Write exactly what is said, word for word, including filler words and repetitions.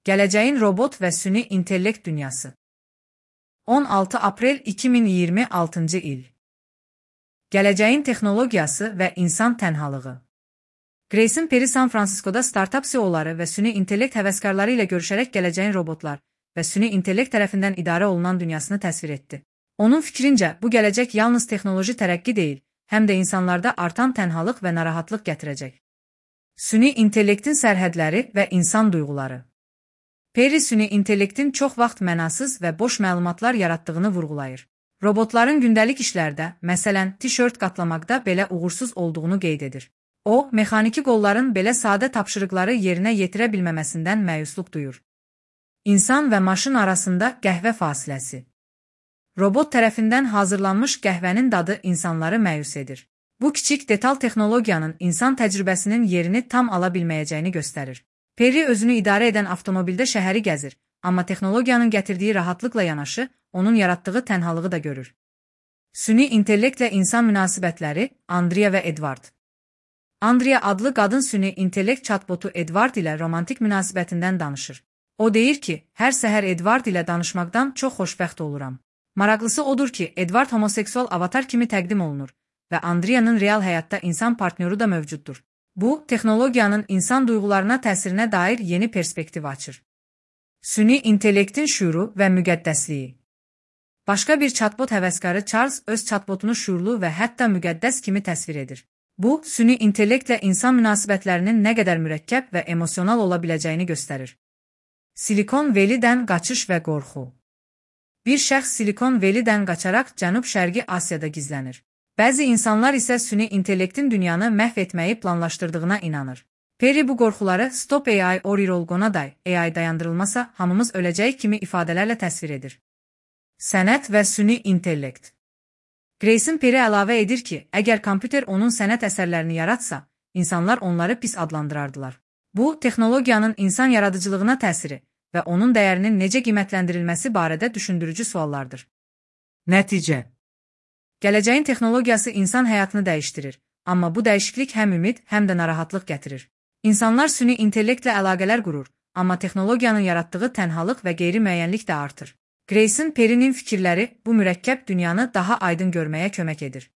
Gələcəyin robot və süni intellekt dünyası. on altı aprel iki min iyirmi altıncı il. Gələcəyin texnologiyası və insan tənhalığı. Grayson Perry San Fransiskoda startup C E O'ları və süni intellekt həvəskarları ilə görüşərək gələcəyin robotlar və süni intellekt tərəfindən idarə olunan dünyasını təsvir etdi. Onun fikrincə, bu gələcək yalnız texnoloji tərəqqi deyil, həm də insanlarda artan tənhalıq və narahatlıq gətirəcək. Süni intellektin sərhədləri və insan duyğuları. Perry süni intellektin çox vaxt mənasız və boş məlumatlar yaratdığını vurğulayır. Robotların gündəlik işlərdə, məsələn, tişört qatlamaqda belə uğursuz olduğunu qeyd edir. O, mexaniki qolların belə sadə tapşırıqları yerinə yetirə bilməməsindən məyusluq duyur. İnsan və maşın arasında qəhvə fasiləsi. Robot tərəfindən hazırlanmış qəhvənin dadı insanları məyus edir. Bu kiçik detal texnologiyanın insan təcrübəsinin yerini tam ala bilməyəcəyini göstərir. Perry özünü idarə edən avtomobildə şəhəri gəzir, amma texnologiyanın gətirdiyi rahatlıqla yanaşı, onun yaratdığı tənhalığı da görür. Süni intellektlə insan münasibətləri, Andrea və Edward. Andrea adlı qadın süni intellekt chatbotu Edward ilə romantik münasibətindən danışır. O deyir ki, hər səhər Edward ilə danışmaqdan çox xoşbəxt oluram. Maraqlısı odur ki, Edward homoseksual avatar kimi təqdim olunur və Andrea'nın real həyatda insan partnyoru da mövcuddur. Bu, texnologiyanın insan duyğularına təsirinə dair yeni perspektiv açır. Süni intellektin şüuru və müqəddəsliyi. Başqa bir chatbot həvəskarı Charles öz chatbotunu şüurlu və hətta müqəddəs kimi təsvir edir. Bu, süni intellektlə insan münasibətlərinin nə qədər mürəkkəb və emosional ola biləcəyini göstərir. Silikon Valley-dən qaçış və qorxu. Bir şəxs Silikon Valley-dən qaçaraq Cənub-Şərqi Asiyada gizlənir. Bəzi insanlar isə süni intellektin dünyanı məhv etməyi planlaşdırdığına inanır. Perry bu qorxuları Stop A I or You'll Gonna Die, A I dayandırılmasa hamımız öləcək kimi ifadələrlə təsvir edir. Sənət və süni intellekt. Grayson Perry əlavə edir ki, əgər kompüter onun sənət əsərlərini yaratsa, insanlar onları pis adlandırardılar. Bu, texnologiyanın insan yaradıcılığına təsiri və onun dəyərinin necə qiymətləndirilməsi barədə düşündürücü suallardır. Nəticə. Gələcəyin texnologiyası insan həyatını dəyişdirir, amma bu dəyişiklik həm ümid, həm də narahatlıq gətirir. İnsanlar süni intellektlə əlaqələr qurur, amma texnologiyanın yaratdığı tənhalıq və qeyri-müəyyənlik də artır. Grayson Perry'nin fikirləri bu mürəkkəb dünyanı daha aydın görməyə kömək edir.